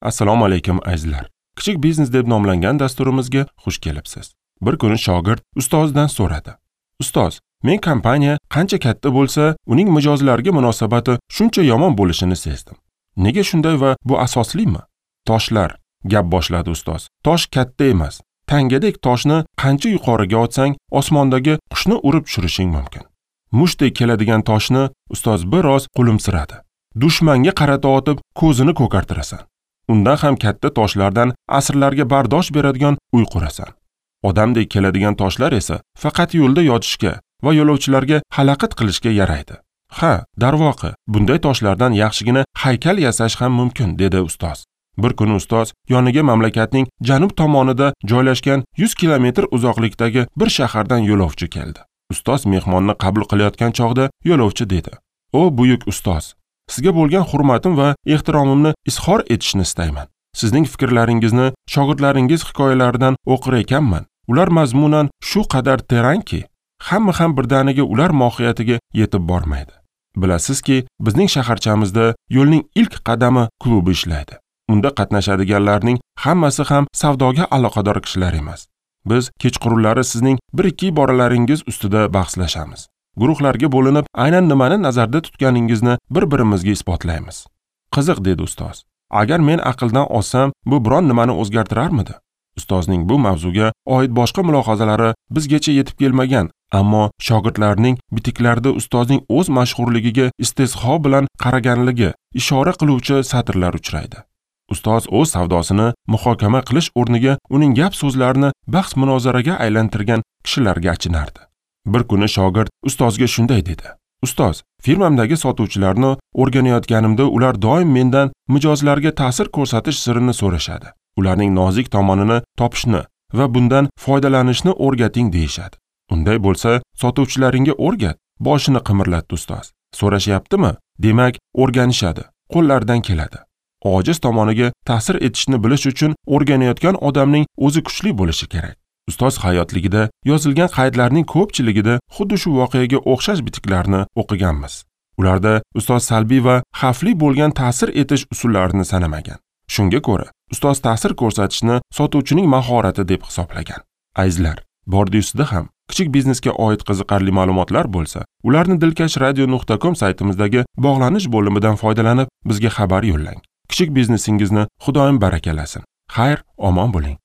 Assalomu alaykum azizlar. Kichik biznes deb nomlangan dasturimizga xush kelibsiz. Bir kuni shogird ustozidan so'radi. Ustoz, men kompaniya qancha katta bo'lsa, uning mijozlariga munosabati shuncha yomon bo'lishini sezdim. Nega shunday va bu asoslimi? Toshlar, gap boshladi ustoz. Tosh katta emas. Tangadek toshni qancha yuqoriga otsang, osmondagi qushni urib tushirishing mumkin. Mushtdek keladigan toshni ustoz biroz qo'limsiradi. Dushmanga qarata otib, ko'zini ko'kartirasan. Undan ham katta toshlardan asrlarga bardosh beradigan uy qurasan. Odamdek keladigan toshlar esa faqat yo'lda yotishga va yo'lovchilarga xalaqit qilishga yaraydi. Ha, darvoqe, bunday toshlardan yaxshigina haykal yasash ham mumkin, dedi ustoz. Bir kuni ustoz yoniga mamlakatning janub tomonida joylashgan 100 kilometr uzoqlikdagi bir shahardan yo'lovchi keldi. Ustoz mehmonni qabul qilayotgan chog'da yo'lovchi dedi: "O buyuk ustoz, sizga bo'lgan hurmatim va ehtiromimni izhor etishni istayman. Sizning fikrlaringizni shogirdlaringiz hikoyalaridan o'qir ekanman. Ular mazmunan shu qadar terangki, hamma ham birdaniga ular mohiyatiga yetib bormaydi. Bilasizki, bizning shaharchamizda yo'lning ilk qadami klubi ishlaydi. Unda qatnashadiganlarning hammasi ham savdoga aloqador kishilar emas. Biz kechqurunlari sizning bir-ikki iboralaringiz ustida bahslashamiz. Guruhlarga bo'linib, aynan nimani nazarda tutganingizni bir-birimizga isbotlaymiz." Qiziq, dedi ustoz. Agar men aqldan ozsam, bu biron nimani o'zgartirarmidi? Ustozning bu mavzuga oid boshqa mulohazalari bizgacha yetib kelmagan, ammo shogirdlarning bitiklarida ustozning o'z mashhurligiga istehzo bilan qaraganligi ishora qiluvchi satrlar uchraydi. Ustoz o'z savdosini muhokama qilish o'rniga uning gap so'zlarini bahs munozaraga aylantirgan kishilarga achinardi. Bir kuni shogird ustozga shunday dedi: "Ustoz, firmamdagi sotuvchilarni o'rganayotganimda ular doim mendan mijozlarga ta'sir ko'rsatish sirini so'rashadi. Ularning nozik tomonini topishni va bundan foydalanishni o'rgating deyishadi. Unday bo'lsa, sotuvchilaringga o'rgat." Boshini qimirlatdi ustoz. So'rashyaptimi? Demak, o'rganishadi, qo'llaridan keladi. Ojiz tomoniga ta'sir etishni bilish uchun o'rganayotgan odamning o'zi kuchli bo'lishi kerak. Ustoz hayotligida yozilgan qaydlarning ko'pchiligida xuddi shu voqeaga o'xshash bitiklarni o'qiganmiz. Ularda ustoz salbiy va xavfli bo'lgan ta'sir etish usullarini sanamagan. Shunga ko'ra, ustoz ta'sir ko'rsatishni sotuvchining mahorati deb hisoblagan. Azizlar, bordi ustida ham kichik biznesga oid qiziqarli ma'lumotlar bo'lsa, ularni dilkashradio.com saytimizdagi bog'lanish bo'limidan foydalanib bizga xabar yo'llang. Kichik biznesingizni Xudoyim barakalasin. Xayr, omon bo'ling.